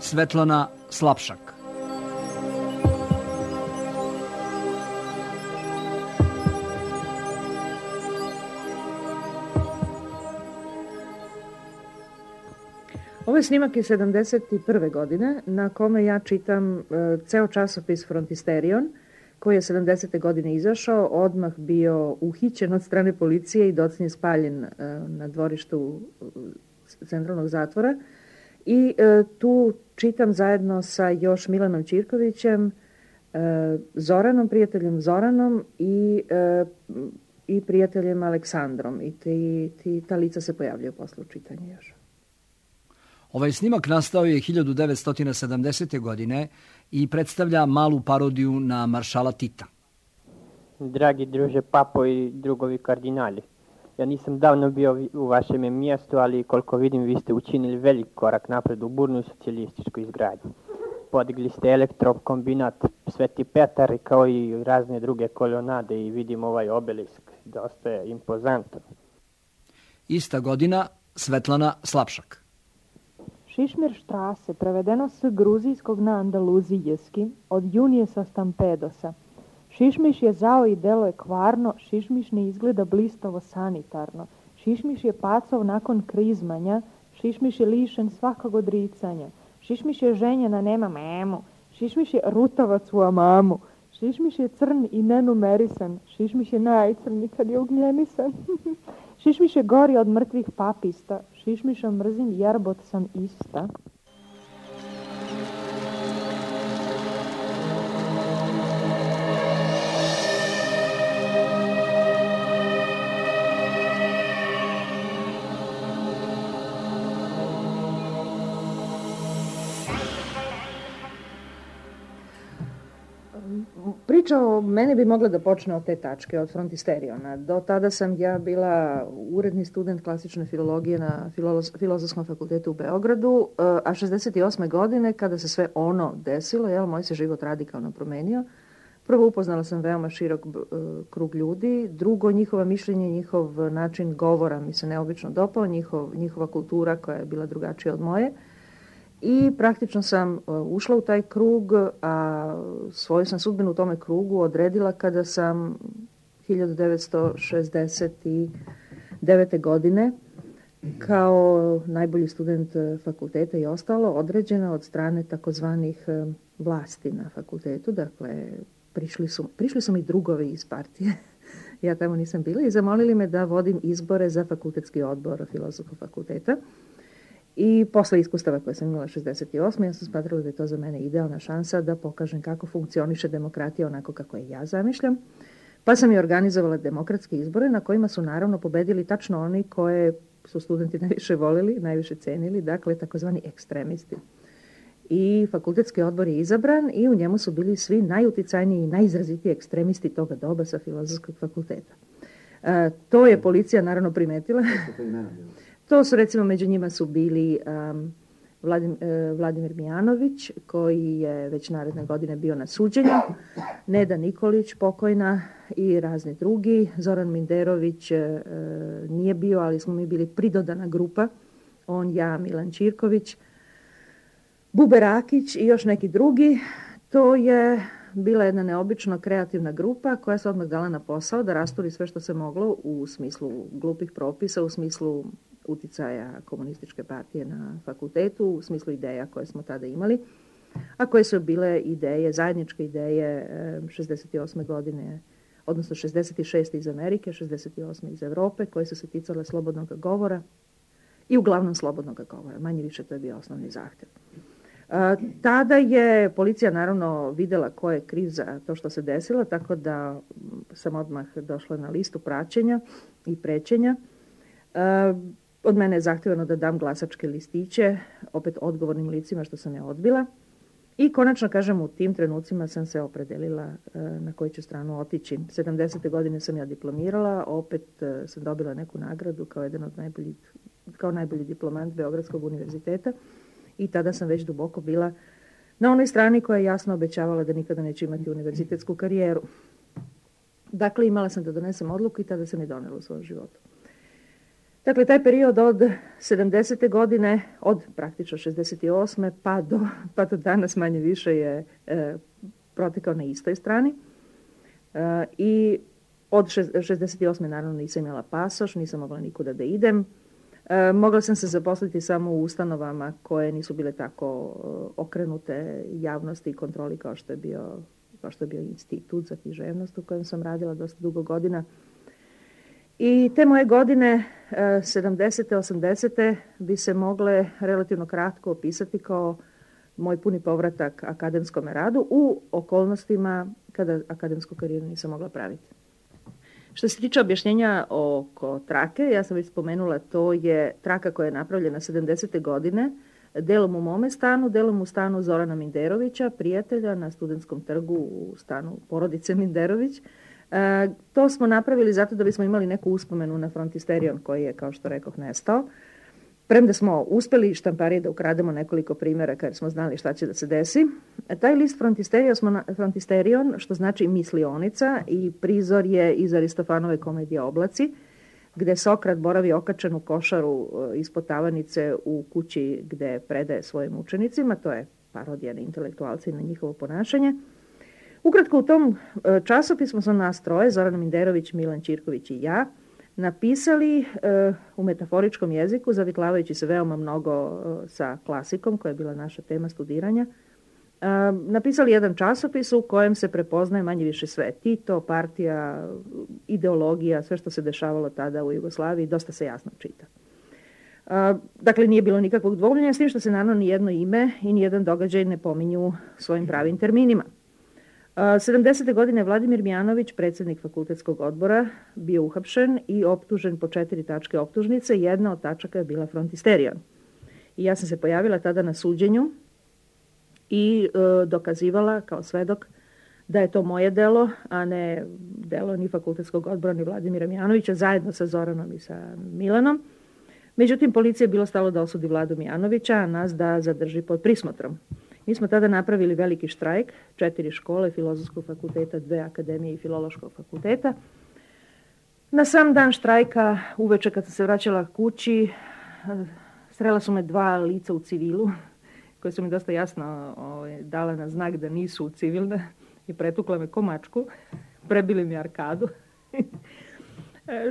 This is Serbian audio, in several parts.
Svetlana Slapšak. Ovo je snimak iz 71. godine na kome ja čitam ceo časopis Frontisterion, koji je 70. godine izašao, odmah bio uhićen od strane policije i docnije spaljen na dvorištu centralnog zatvora. I tu čitam zajedno sa još Milanom Ćirkovićem, Zoranom, prijateljem Zoranom i prijateljem Aleksandrom. I ta lica se pojavljaju posle u čitanju još. Ovaj snimak nastao je 1970. godine i predstavlja malu parodiju na maršala Tita. Dragi druže Papo i drugovi kardinali, ja nisam davno bio u vašem mjestu, ali koliko vidim vi ste učinili velik korak napred u burnu socijalističku izgradnju. Podigli ste elektrokombinat Sveti Petar kao i razne druge kolonade i vidim ovaj obelisk, dosta je impozantan. Ista godina Svetlana Slapšak. Šišmirštrase, prevedeno s gruzijskog na andaluzijski, od junije sa Stampedosa. Šišmiš je zao i delo je kvarno, šišmiš ne izgleda blistavo sanitarno. Šišmiš je pacov nakon krizmanja, šišmiš je lišen svakog odricanja. Šišmiš je ženjena, nema memu. Šišmiš je rutavac u amamu. Šišmiš je crn i nenumerisan. Šišmiš je najcrnji kad je ugljenisan. Šišmiš je gori od mrtvih papista. Šišmiša mrzim jerbot sam ista. Priča o meni bi mogla da počne od te tačke, od Frontisteriona. Do tada sam ja bila uredni student klasične filologije na Filozofskom fakultetu u Beogradu, a 68. godine, kada se sve ono desilo, moj se život radikalno promenio. Prvo, upoznala sam veoma širok krug ljudi. Drugo, njihova mišljenja, njihov način govora mi se neobično dopao, njihova kultura koja je bila drugačija od moje. I praktično sam ušla u taj krug, a svoju sam sudbinu u tome krugu odredila kada sam 1969. godine kao najbolji student fakulteta i ostalo određena od strane takozvanih vlasti na fakultetu. Dakle, prišli su mi drugovi iz partije. Ja tamo nisam bila i zamolili me da vodim izbore za fakultetski odbor Filozofskog fakulteta. I posle iskustava koje sam imala 68. ja sam smatrala da je to za mene idealna šansa da pokažem kako funkcioniše demokratija onako kako je ja zamišljam. Pa sam i organizovala demokratske izbore na kojima su naravno pobedili tačno oni koje su studenti najviše volili, najviše cenili, dakle takozvani ekstremisti. I fakultetski odbor je izabran i u njemu su bili svi najuticajniji i najizrazitiji ekstremisti toga doba sa Filozofskog fakulteta. To je policija naravno primetila. To su, recimo, među njima su bili Vladimir Mijanović, koji je već naredne godine bio na suđenju, Neda Nikolić, pokojna, i razni drugi. Zoran Minderović nije bio, ali smo mi bili pridodana grupa, on, ja, Milan Ćirković, Bube Rakić i još neki drugi. To je bila jedna neobično kreativna grupa koja se odmah dala na posao da rasturi sve što se moglo u smislu glupih propisa, u smislu uticaja komunističke partije na fakultetu, u smislu ideja koje smo tada imali, a koje su bile ideje, zajedničke ideje 68. godine, odnosno 66. iz Amerike, 68. iz Evrope, koje su se ticale slobodnog govora i uglavnom slobodnog govora. Manje više to je bio osnovni zahtev. Tada je policija naravno videla ko je kriv za to što se desilo, tako da sam odmah došla na listu praćenja i prećenja. Od mene je zahtevano da dam glasačke listiće, opet odgovornim licima što sam ja odbila. I konačno, kažem, u tim trenucima sam se opredelila na koju ću stranu otići. 70. godine sam ja diplomirala, opet sam dobila neku nagradu kao najbolji diplomant Beogradskog univerziteta i tada sam već duboko bila na onoj strani koja je jasno obećavala da nikada neće imati univerzitetsku karijeru. Dakle, imala sam da donesem odluku i tada sam je donela u svom životu. Dakle, taj period od 70. godine, od praktično 68. pa do danas manje više je protekao na istoj strani. I od 68. naravno nisam imala pasoš, nisam mogla nikuda da idem. Mogla sam se zaposliti samo u ustanovama koje nisu bile tako okrenute javnosti i kontroli kao što je bio institut za književnost u kojem sam radila dosta dugo godina. I te moje godine, 70. 80. bi se mogle relativno kratko opisati kao moj puni povratak akademskom radu u okolnostima kada akademsku karijeru nisam mogla praviti. Što se tiče objašnjenja oko trake, ja sam već spomenula, to je traka koja je napravljena 70. godine, delom u mome stanu, delom u stanu Zorana Minderovića, prijatelja na Studentskom trgu u stanu porodice Minderović. To smo napravili zato da bismo imali neku uspomenu na Frontisterion koji je, kao što rekoh, nestao. Premda smo uspeli štamparije da ukrademo nekoliko primjeraka jer smo znali šta će da se desi. Taj list Frontisterion, što znači mislionica, i prizor je iz Aristofanove komedije Oblaci, gde Sokrat boravi okačen u košaru ispod tavanice u kući gde predaje svojim učenicima. To je parodija na intelektualce i na njihovo ponašanje. Ukratko, u tom časopismu smo nas troje, Zoran Minderović, Milan Ćirković i ja, napisali u metaforičkom jeziku, zavitlavajući se veoma mnogo sa klasikom, koja je bila naša tema studiranja, napisali jedan časopis u kojem se prepoznaje manje više sve. Tito, partija, ideologija, sve što se dešavalo tada u Jugoslaviji, dosta se jasno čita. Dakle, nije bilo nikakvog dvomljenja, s tim što se naravno nijedno ime i nijedan događaj ne pominju svojim pravim terminima. 70. godine Vladimir Mijanović, predsjednik fakultetskog odbora, bio uhapšen i optužen po 4 tačke optužnice. Jedna od tačaka je bila Frontisterion. I ja sam se pojavila tada na suđenju i dokazivala kao svedok da je to moje delo, a ne delo ni fakultetskog odbora ni Vladimira Mijanovića, zajedno sa Zoranom i sa Milanom. Međutim, policija je bilo stalo da osudi Vladu Mijanovića, a nas da zadrži pod prismotrom. Mi smo tada napravili veliki štrajk, 4 škole, Filozofskog fakulteta, 2 akademije i Filološkog fakulteta. Na sam dan štrajka, uveče kad sam se vraćala kući, srela su me 2 lica u civilu, koje su mi dosta jasno dala na znak da nisu civilne i pretukla me ko mačku, prebili mi arkadu.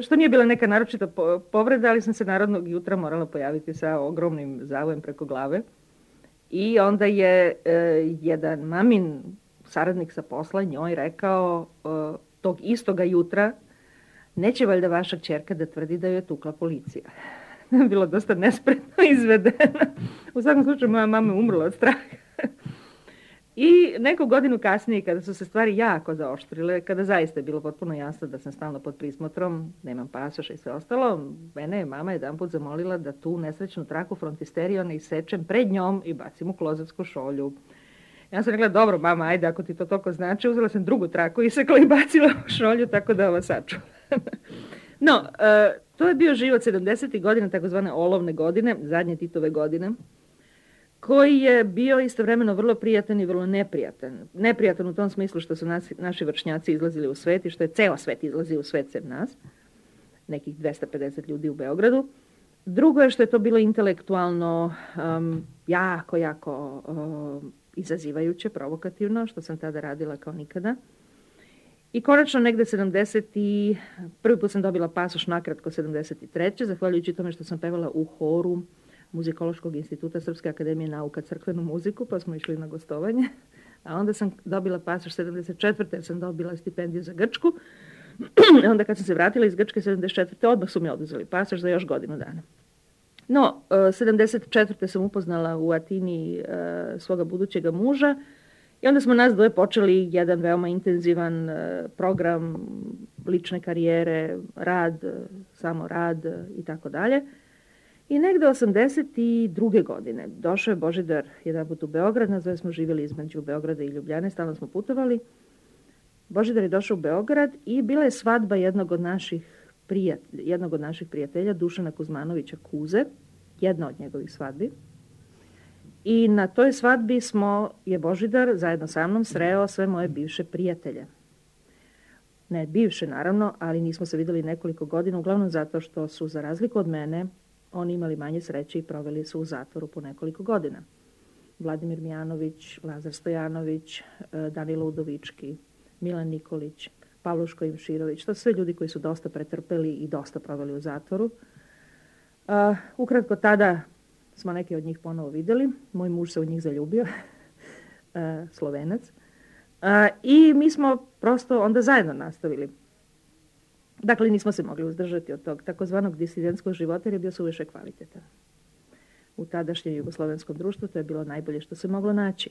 Što nije bila neka naročita povreda, ali sam se narodnog jutra morala pojaviti sa ogromnim zavojem preko glave. I onda je jedan mamin saradnik sa posla njoj rekao tog istoga jutra: neće valjda vaša kćerka da tvrdi da joj je tukla policija. Bilo dosta nespretno izvedeno. U svakom slučaju moja mama je umrla od straha. I neku godinu kasnije, kada su se stvari jako zaoštrile, kada zaista je bilo potpuno jasno da sam stalno pod prismotrom, nemam pasoša i sve ostalo, mene je mama jedanput zamolila da tu nesrećnu traku Frontisteriona isečem pred njom i bacim u klozetsku šolju. Ja sam rekla: dobro mama, ajde, ako ti to toliko znači. Uzela sam drugu traku, isekla i bacila u šolju, tako da ovo sačuvam. No, to je bio život 70. godina, takozvane olovne godine, zadnje Titove godine, koji je bio istovremeno vrlo prijatan i vrlo neprijatan. Neprijatan u tom smislu što su naši vršnjaci izlazili u svet i što je ceo svet izlazio u svet sem nas, nekih 250 ljudi u Beogradu. Drugo je što je to bilo intelektualno jako izazivajuće, provokativno, što sam tada radila kao nikada. I konačno negde 70. prvi put sam dobila pasoš nakratko 73. zahvaljujući tome što sam pevala u horu Muzikološkog instituta Srpske akademije nauka crkvenu muziku, pa smo išli na gostovanje. A onda sam dobila pasoš 74. jer sam dobila stipendiju za Grčku. Onda kad sam se vratila iz Grčke 74. odmah su mi oduzeli pasoš za još godinu dana. No, 74. sam upoznala u Atini svoga budućega muža i onda smo nas dvoje počeli jedan veoma intenzivan program lične karijere, rad, samo rad i tako dalje. I negde 82. godine došao je Božidar jedan put u Beograd, nas dvoje smo živjeli između Beograda i Ljubljane, stalno smo putovali. Božidar je došao u Beograd i bila je svadba jednog od naših prijatelja, Dušana Kuzmanovića Kuze, jedna od njegovih svadbi. I na toj svadbi je Božidar zajedno sa mnom sreo sve moje bivše prijatelje. Ne bivše, naravno, ali nismo se vidjeli nekoliko godina, uglavnom zato što su, za razliku od mene, oni imali manje sreće i proveli su u zatvoru po nekoliko godina. Vladimir Mijanović, Lazar Stojanović, Danilo Udovički, Milan Nikolić, Pavluško Imširović, to su sve ljudi koji su dosta pretrpeli i dosta proveli u zatvoru. Ukratko, tada smo neke od njih ponovo vidjeli. Moj muž se u njih zaljubio, Slovenac. I mi smo prosto onda zajedno nastavili. Dakle, nismo se mogli uzdržati od tog takozvanog disidentskog života jer je bio suviše kvalitetan. U tadašnjem jugoslovenskom društvu to je bilo najbolje što se moglo naći.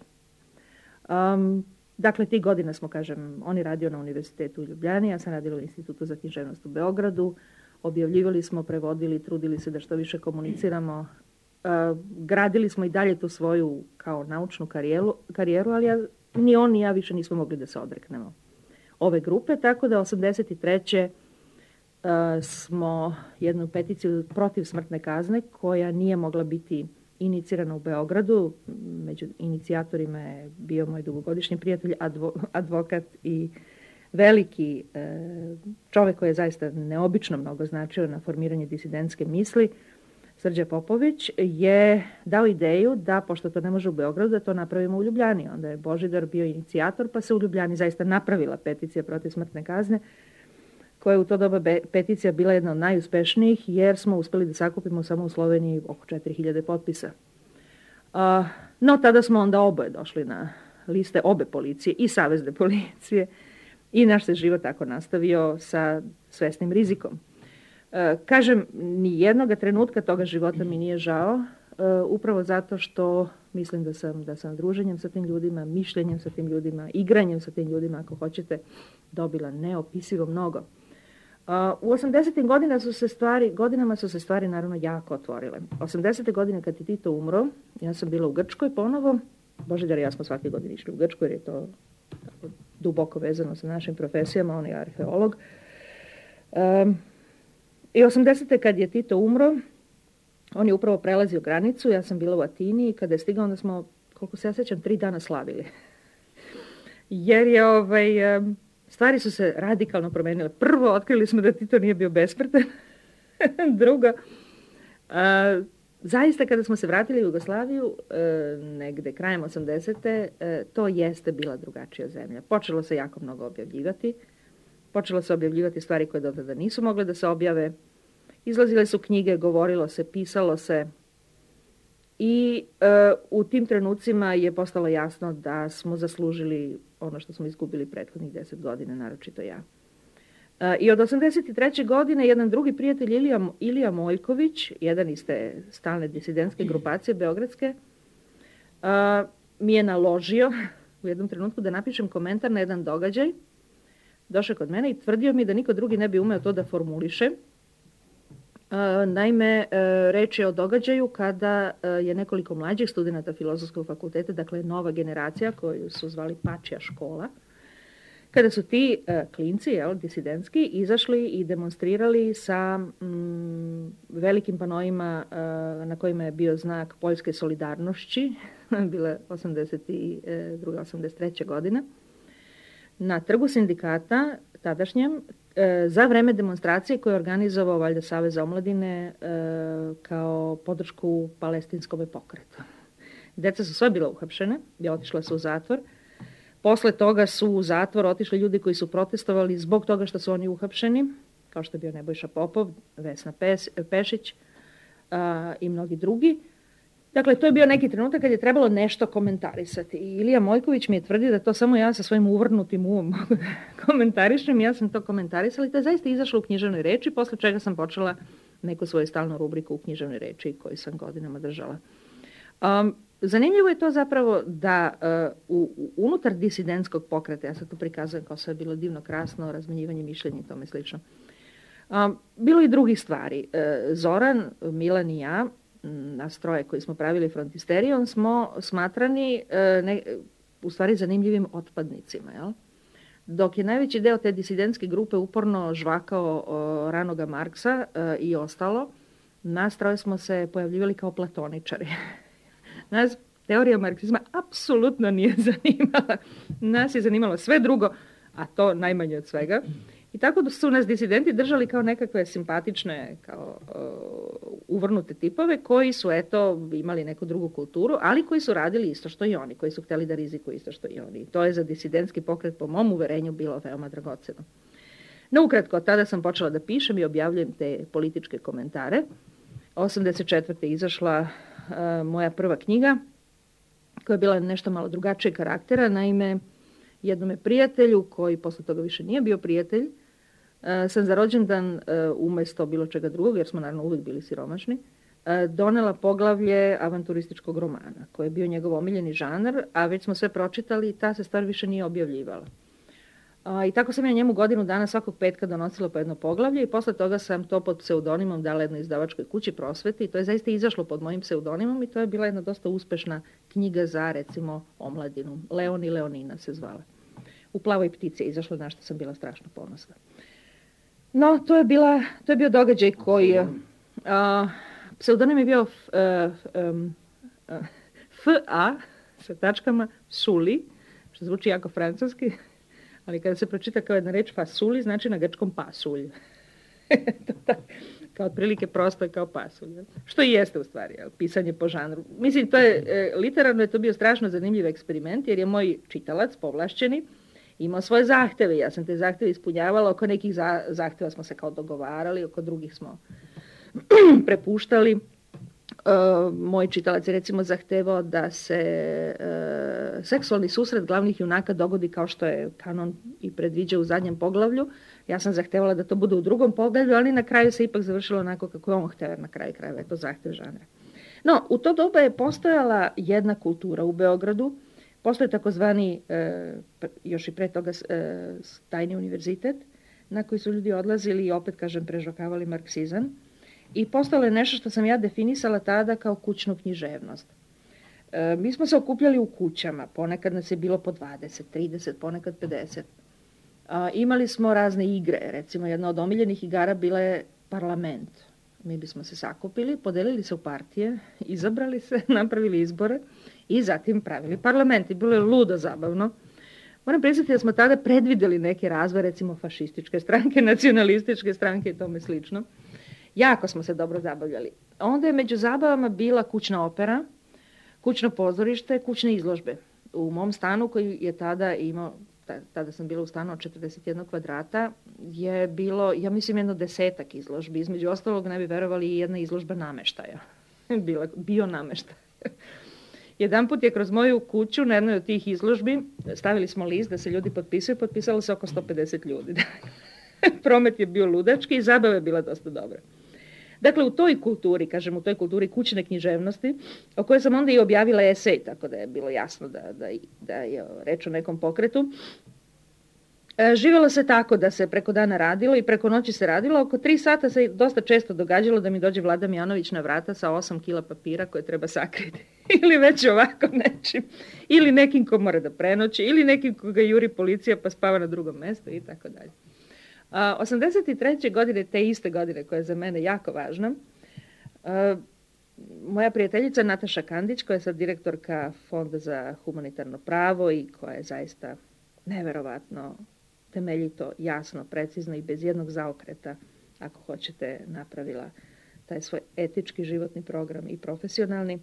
Dakle, tih godina smo, kažem, oni radio na univerzitetu u Ljubljani, ja sam radila u Institutu za književnost u Beogradu, objavljivali smo, prevodili, trudili se da što više komuniciramo, gradili smo i dalje tu svoju kao naučnu karijeru, ali ni on ni ja više nismo mogli da se odreknemo ove grupe, tako da 83. Smo jednu peticiju protiv smrtne kazne koja nije mogla biti inicirana u Beogradu. Među inicijatorima je bio moj dugogodišnji prijatelj, advokat i veliki čovjek koji je zaista neobično mnogo značio na formiranje disidentske misli, Srđa Popović, je dao ideju da, pošto to ne može u Beogradu, da to napravimo u Ljubljani. Onda je Božidar bio inicijator, pa se u Ljubljani zaista napravila peticija protiv smrtne kazne, koja je u to doba peticija bila jedna od najuspešnijih, jer smo uspjeli da sakupimo samo u Sloveniji oko 4000 potpisa. No, tada smo onda oboje došli na liste obe policije i savezne policije i naš se život tako nastavio sa svesnim rizikom. Kažem, ni jednoga trenutka toga života mi nije žao, upravo zato što mislim da sam druženjem sa tim ljudima, mišljenjem sa tim ljudima, igranjem sa tim ljudima, ako hoćete, dobila neopisivo mnogo. U 80. godinama su se stvari naravno jako otvorile. 80. godine kad je Tito umro, ja sam bila u Grčkoj ponovo. Božidar i ja smo svake godine išli u Grčku jer je to duboko vezano sa našim profesijama, on je arheolog. I 80. kad je Tito umro, on je upravo prelazio granicu, ja sam bila u Atini i kada je stigao, onda smo, koliko se ja sjećam, 3 dana slavili. Jer je stvari su se radikalno promenile. Prvo, otkrili smo da Tito nije bio besmrtan. Drugo, zaista kada smo se vratili u Jugoslaviju, negde krajem 80. To jeste bila drugačija zemlja. Počelo se jako mnogo objavljivati. Počelo se objavljivati stvari koje do tada nisu mogle da se objave. Izlazile su knjige, govorilo se, pisalo se. I u tim trenucima je postalo jasno da smo zaslužili ono što smo izgubili prethodnih 10 godina, naročito ja. I od 83. godine jedan drugi prijatelj, Ilija Mojković, jedan iz te stalne disidentske grupacije beogradske, mi je naložio u jednom trenutku da napišem komentar na jedan događaj. Došao kod mene i tvrdio mi da niko drugi ne bi umeo to da formuliše. Naime, reč je o događaju kada je nekoliko mlađih studenata Filozofskog fakulteta, dakle nova generacija koju su zvali Pačija škola, kada su ti klinci, disidentski, izašli i demonstrirali sa velikim panoima na kojima je bio znak poljske solidarnošći, bila 82. 83. godina, na trgu sindikata tadašnjem, za vreme demonstracije koje je organizovao valjda Savez omladine kao podršku palestinskom pokretu. Deca su sva bila uhapšene, otišla su u zatvor. Posle toga su u zatvor otišli ljudi koji su protestovali zbog toga što su oni uhapšeni, kao što je bio Nebojša Popov, Vesna Pešić i mnogi drugi. Dakle, to je bio neki trenutak kad je trebalo nešto komentarisati. I Ilija Mojković mi je tvrdio da to samo ja sa svojim uvrnutim umom komentarišem. Ja sam to komentarisala i to je zaista izašlo u književnoj reči, posle čega sam počela neku svoju stalnu rubriku u književnoj reči koju sam godinama držala. Zanimljivo je to zapravo da unutar disidentskog pokreta, ja sad to prikazujem kao sve je bilo divno, krasno, razmenjivanje mišljenja i tome slično. Bilo i drugih stvari. Zoran, Milan i ja, nas troje koji smo pravili Frontisterijom, smo smatrani u stvari zanimljivim otpadnicima. Jel? Dok je najveći deo te disidentske grupe uporno žvakao ranoga Marksa i ostalo, nas troje smo se pojavljivali kao platoničari. Nas teorija marksizma apsolutno nije zanimala. Nas je zanimalo sve drugo, a to najmanje od svega. I tako da su nas disidenti držali kao nekakve simpatične, kao uvrnute tipove koji su imali neku drugu kulturu, ali koji su radili isto što i oni, koji su htjeli da rizikuju isto što i oni. I to je za disidentski pokret po mom uverenju bilo veoma dragoceno. No, ukratko, tada sam počela da pišem i objavljujem te političke komentare. 1984. izašla moja prva knjiga, koja je bila nešto malo drugačije karaktera. Naime, jednome prijatelju, koji posle toga više nije bio prijatelj, sam za rođendan, umjesto bilo čega drugog, jer smo naravno uvijek bili siromašni, donela poglavlje avanturističkog romana, koji je bio njegov omiljeni žanr, a već smo sve pročitali i ta se stvar više nije objavljivala. I tako sam ja njemu godinu dana svakog petka donosila po jedno poglavlje i posle toga sam to pod pseudonimom dala jednoj izdavačkoj kući Prosveti i to je zaista izašlo pod mojim pseudonimom i to je bila jedna dosta uspešna knjiga za, recimo, omladinu. Leon i Leonina se zvala. U Plavoj ptici je izašlo, na što sam bila strašno ponosna. No, to je bio događaj koji... pseudonim je bio F.A. sa tačkama Suli, što zvuči jako francuski, ali kada se pročita kao jedna reč fasuli, znači na grčkom pasulj. Kao otprilike prosto kao pasulj. Što i jeste u stvari, pisanje po žanru. Mislim, to je, literarno je to bio strašno zanimljiv eksperiment, jer je moj čitalac, povlašćeni, imao svoje zahteve. Ja sam te zahteve ispunjavala, oko nekih zahteva smo se kao dogovarali, oko drugih smo prepuštali. Moj čitalac je recimo zahtevao da se seksualni susret glavnih junaka dogodi kao što je kanon i predviđa u zadnjem poglavlju. Ja sam zahtevala da to bude u drugom poglavlju, ali na kraju se ipak završilo onako kako je on hteo, na kraju krajeva je to zahtev žanra. No, u to doba je postojala jedna kultura u Beogradu. Postoje takozvani, još i pre toga, tajni univerzitet, na koji su ljudi odlazili i opet, kažem, prežvakavali marksizam. I postalo je nešto što sam ja definisala tada kao kućnu književnost. Mi smo se okupljali u kućama, ponekad nas je bilo po 20, 30, ponekad 50. Imali smo razne igre, recimo jedna od omiljenih igara bila je parlament. Mi bismo se sakupili, podelili se u partije, izabrali se, napravili izbore i zatim pravili parlament. I bilo je ludo zabavno. Moram priznati da smo tada predvideli neke razvoje, recimo fašističke stranke, nacionalističke stranke i tome slično. Jako smo se dobro zabavljali. Onda je među zabavama bila kućna opera, kućno pozorište, kućne izložbe. U mom stanu koji je tada imao, tada sam bila u stanu od 41 kvadrata, je bilo, ja mislim, 10 izložbi. Između ostalog, ne bi verovali, i jedna izložba nameštaja. Bio nameštaj. Jedanput je kroz moju kuću na jednoj od tih izložbi, stavili smo list da se ljudi potpisuju, potpisalo se oko 150 ljudi. Promet je bio ludački i zabava je bila dosta dobra. Dakle, u toj kulturi, kažem, u toj kulturi kućne književnosti, o kojoj sam onda i objavila esej, tako da je bilo jasno da je reč o nekom pokretu, živjelo se tako da se preko dana radilo i preko noći se radilo. Oko 3 sata se dosta često događalo da mi dođe Vlada Mijanović na vrata sa 8 kila papira koje treba sakriti. Ili već ovako nečim. Ili nekim ko mora da prenoći, ili nekim koga juri policija pa spava na drugom mjestu i tako dalje. 83. godine, te iste godine koja je za mene jako važna, moja prijateljica Nataša Kandić, koja je sad direktorka Fonda za humanitarno pravo i koja je zaista neverovatno temeljito, jasno, precizno i bez jednog zaokreta, ako hoćete, napravila taj svoj etički životni program i profesionalni.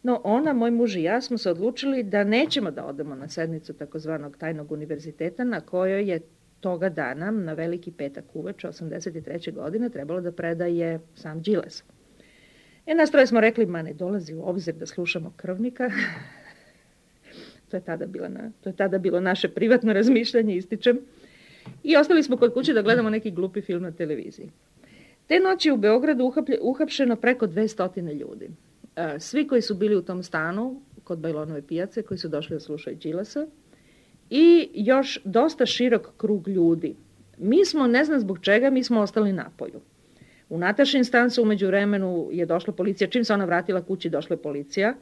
No, ona, moj muž i ja smo se odlučili da nećemo da odemo na sednicu takozvanog tajnog univerziteta na kojoj je toga dana, na Veliki petak uveče 83. godine, trebalo da predaje sam Đilas. Nas troje smo rekli, ma ne dolazi u obzir da slušamo krvnika. To je tada bilo naše privatno razmišljanje, ističem. I ostali smo kod kuće da gledamo neki glupi film na televiziji. Te noći u Beogradu uhapšeno preko 200 ljudi. Svi koji su bili u tom stanu, kod Bajlonove pijace, koji su došli da slušaju Đilasa, i još dosta širok krug ljudi. Mi smo, ne znam zbog čega, mi smo ostali napolju. U Natašin stan se umeđu vremenu je došla policija. Čim se ona vratila kući, došla je policija,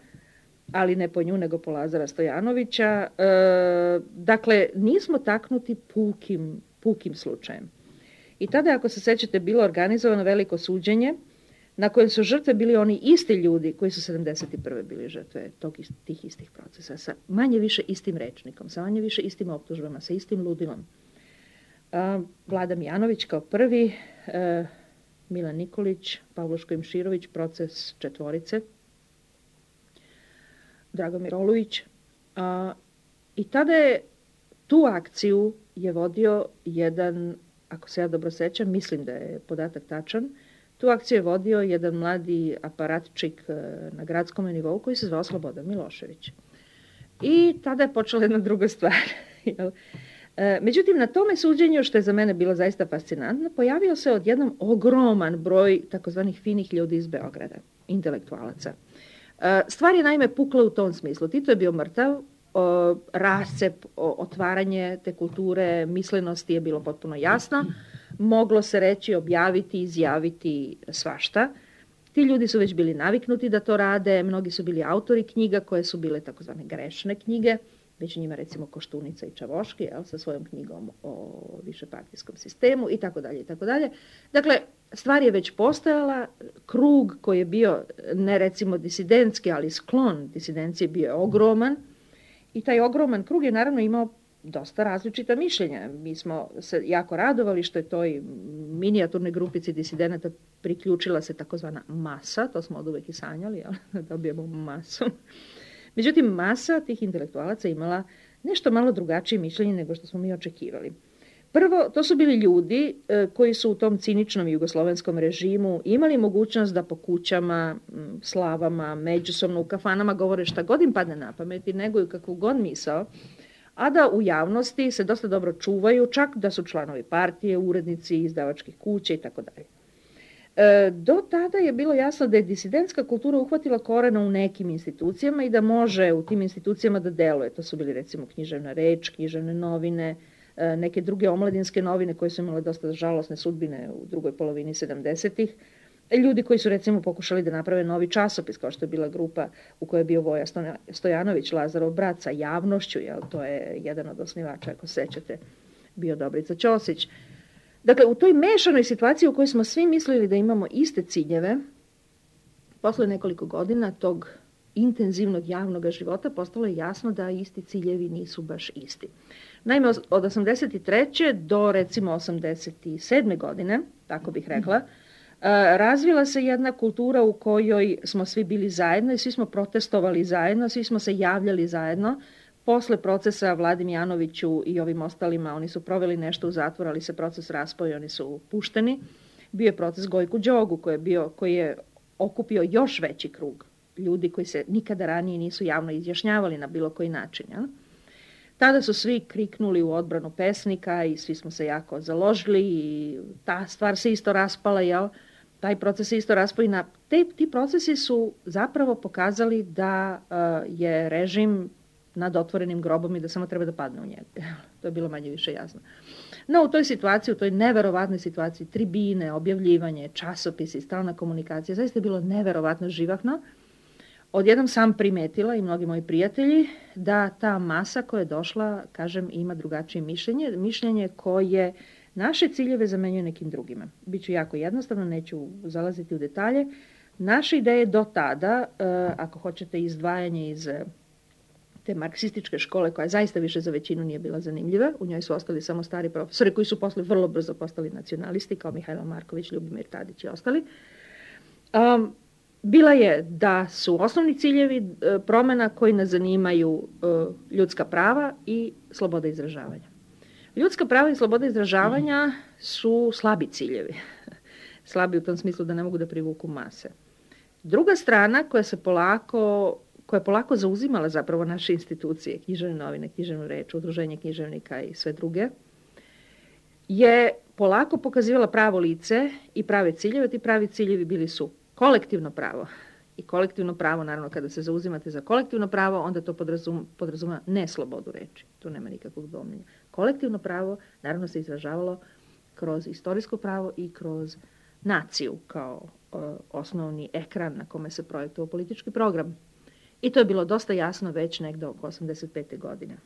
ali ne po nju, nego po Lazara Stojanovića. Dakle, nismo taknuti pukim slučajem. I tada, ako se sećate, bilo organizovano veliko suđenje na kojem su žrtve bili oni isti ljudi koji su 71. bili žrtve tih istih procesa, sa manje više istim rečnikom, sa manje više istim optužbama, sa istim ludilom. Vlada Mijanović kao prvi, Milan Nikolić, Pavlo Škojim-Širović, proces četvorice, Dragomir Olujić. I tada je tu akciju je vodio jedan, ako se ja dobro sećam, mislim da je podatak tačan, tu akciju je vodio jedan mladi aparatčik na gradskom nivou koji se zvao Slobodan Milošević. I tada je počela jedna druga stvar. Međutim, na tome suđenju, što je za mene bilo zaista fascinantno, pojavio se odjednom ogroman broj takozvanih finih ljudi iz Beograda, intelektualaca. Stvar je naime pukla u tom smislu. Tito je bio mrtav, rascep, otvaranje te kulture, mislenosti je bilo potpuno jasno. Moglo se reći, objaviti, izjaviti svašta. Ti ljudi su već bili naviknuti da to rade, mnogi su bili autori knjiga koje su bile takozvane grešne knjige, među njima recimo Koštunica i Čavoški, sa svojom knjigom o višepartijskom sistemu i tako dalje i tako dalje. Dakle, stvar je već postojala, krug koji je bio ne recimo disidentski, ali sklon disidencije bio je ogroman i taj ogroman krug je naravno imao dosta različita mišljenja. Mi smo se jako radovali što je toj minijaturnoj grupici disidenata priključila se takozvana masa, to smo od uvek i sanjali, da dobijemo masu. Međutim, masa tih intelektualaca imala nešto malo drugačije mišljenje nego što smo mi očekivali. Prvo, to su bili ljudi koji su u tom ciničnom jugoslovenskom režimu imali mogućnost da po kućama, slavama, međusobno u kafanama govore šta god im padne na pamet i neguju kakvu god misao, a da u javnosti se dosta dobro čuvaju, čak da su članovi partije, urednici, izdavačkih kuća i tako dalje. Do tada je bilo jasno da je disidentska kultura uhvatila korena u nekim institucijama i da može u tim institucijama da deluje. To su bili recimo Književna reč, Književne novine, neke druge omladinske novine koje su imale dosta žalosne sudbine u drugoj polovini 70-ih. Ljudi koji su recimo pokušali da naprave novi časopis, kao što je bila grupa u kojoj je bio Voja Stojanović, Lazarov brat sa javnošću, to je jedan od osnivača, ako sećate, bio Dobrica Ćosić. Dakle, u toj mešanoj situaciji u kojoj smo svi mislili da imamo iste ciljeve, posle nekoliko godina tog intenzivnog javnog života postalo je jasno da isti ciljevi nisu baš isti. Naime, od 83. do recimo 87. godine, tako bih rekla, razvila se jedna kultura u kojoj smo svi bili zajedno i svi smo protestovali zajedno, svi smo se javljali zajedno. Posle procesa Vladi Mijanoviću i ovim ostalima, oni su proveli nešto u zatvoru, ali se proces raspao i oni su pušteni. Bio je proces Gojku Đogu koji je okupio još veći krug ljudi koji se nikada ranije nisu javno izjašnjavali na bilo koji način. Ja? Tada su svi kriknuli u odbranu pesnika i svi smo se jako založili i ta stvar se isto raspala, jel? Taj proces se isto raspao i ti procesi su zapravo pokazali da je režim nad otvorenim grobom i da samo treba da padne u njega. To je bilo manje više jasno. No, u toj situaciji, u toj neverovatnoj situaciji, tribine, objavljivanje, časopisi, stalna komunikacija, zaista je bilo neverovatno živahno. Odjednom sam primetila i mnogi moji prijatelji da ta masa koja je došla, kažem, ima drugačije mišljenje koje naše ciljeve zamenjuje nekim drugima. Biću jako jednostavno, neću zalaziti u detalje. Naše ideje do tada, ako hoćete izdvajanje iz te marksističke škole, koja zaista više za većinu nije bila zanimljiva, u njoj su ostali samo stari profesori koji su posle vrlo brzo postali nacionalisti, kao Mihajlo Marković, Ljubomir Tadić i ostali. Bila je da su osnovni ciljevi promjena koji nas zanimaju ljudska prava i sloboda izražavanja. Ljudska prava i sloboda izražavanja su slabi ciljevi. Slabi u tom smislu da ne mogu da privuku mase. Druga strana koja je polako zauzimala zapravo naše institucije, Književne novine, Književnu reč, Udruženje književnika i sve druge, je polako pokazivala pravo lice i prave ciljeve. Ti pravi ciljevi bili su kolektivno pravo. I kolektivno pravo, naravno, kada se zauzimate za kolektivno pravo, onda to podrazumeva ne slobodu reči. Tu nema nikakvog dvomljenja. Kolektivno pravo, naravno, se izražavalo kroz istorijsko pravo i kroz naciju kao osnovni ekran na kome se projektovao politički program. I to je bilo dosta jasno već negde oko 85. godine.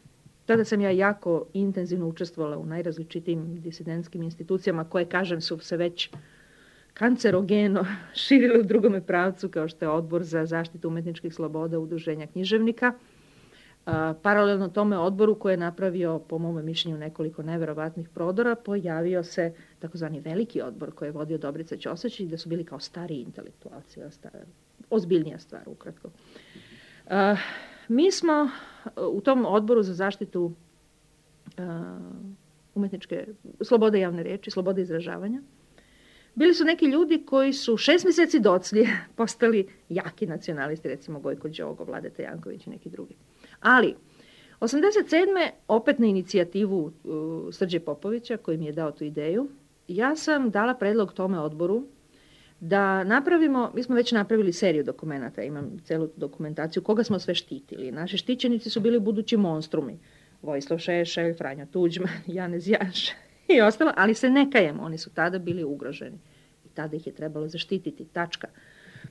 Tada sam ja jako intenzivno učestvovala u najrazličitijim disidentskim institucijama koje, kažem, su se već kancerogeno širile u drugome pravcu, kao što je Odbor za zaštitu umetničkih sloboda Udruženja književnika. Paralelno tome odboru koji je napravio, po mome mišljenju, nekoliko neverovatnih prodora, pojavio se takozvani veliki odbor koji je vodio Dobrica Ćosić i da su bili kao stariji intelektualci, ozbiljnija stvar, ukratko. Mi smo u tom odboru za zaštitu umetničke slobode javne reči, slobode izražavanja, bili su neki ljudi koji su 6 mjeseci docnije postali jaki nacionalisti, recimo Gojko Đogo, Vladeta Janković i neki drugi. Ali, 87. opet na inicijativu Srđe Popovića, koji mi je dao tu ideju, ja sam dala predlog tome odboru da napravimo, mi smo već napravili seriju dokumenata, imam celu dokumentaciju, koga smo sve štitili. Naši štićenici su bili budući monstrumi. Vojislav Šešelj, Franjo Tuđman, Janez Janša i ostalo, ali se ne kajemo, oni su tada bili ugroženi. I tada ih je trebalo zaštititi, tačka.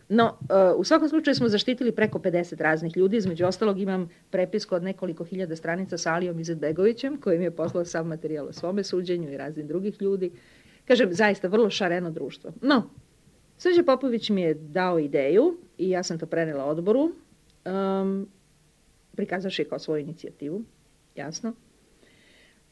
No, u svakom slučaju smo zaštitili preko 50 raznih ljudi, između ostalog imam prepisku od nekoliko hiljada stranica sa Alijom Izetbegovićem, koji mi je poslao sav materijal o svome suđenju i raznih drugih ljudi. Kažem, zaista vrlo šareno društvo. No, Srđe Popović mi je dao ideju i ja sam to prenela odboru, prikazavši je kao svoju inicijativu, jasno,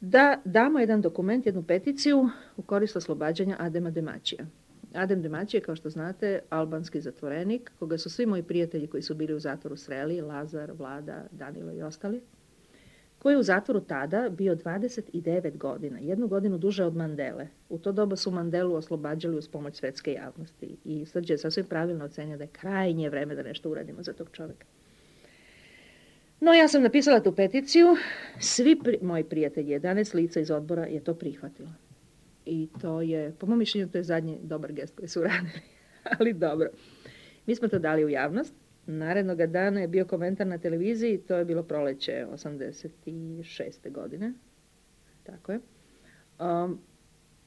da damo jedan dokument, jednu peticiju u korist oslobađanja Adema Demaćija. Adem Demaćije, kao što znate, albanski zatvorenik, koga su svi moji prijatelji koji su bili u zatvoru sreli, Lazar, Vlada, Danilo i ostali, koji je u zatvoru tada bio 29 godina, 1 godinu duže od Mandele. U to doba su Mandelu oslobađali uz pomoć svetske javnosti i Srđe je sasvim pravilno ocenio da je krajnje vreme da nešto uradimo za tog čovjeka. No, ja sam napisala tu peticiju, svi moji prijatelji, 11 lica iz odbora je to prihvatilo. I to je, po mom mišljenju, to je zadnji dobar gest koji su uradili, ali dobro. Mi smo to dali u javnost. Narednog dana je bio komentar na televiziji, to je bilo proleće 86. godine. Tako je.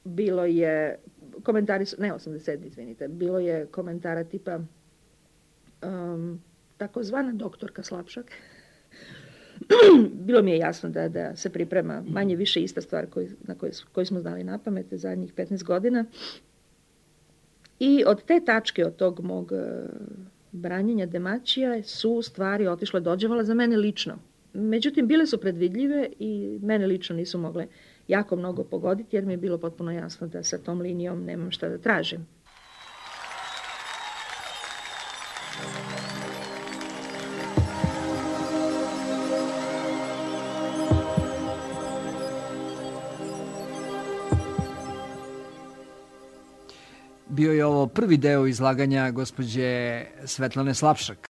Bilo je, komentari su, ne 87. izvinite, bilo je komentara tipa takozvana doktorka Slapšak. Bilo mi je jasno da se priprema manje više ista stvar koju smo znali na pamet zadnjih 15 godina. I od te tačke, od tog mog branjenja Demaćija su stvari otišle dođevala za mene lično. Međutim, bile su predvidljive i mene lično nisu mogle jako mnogo pogoditi jer mi je bilo potpuno jasno da sa tom linijom nemam šta da tražim. Bio je ovo prvi deo izlaganja gospođe Svetlane Slapšak.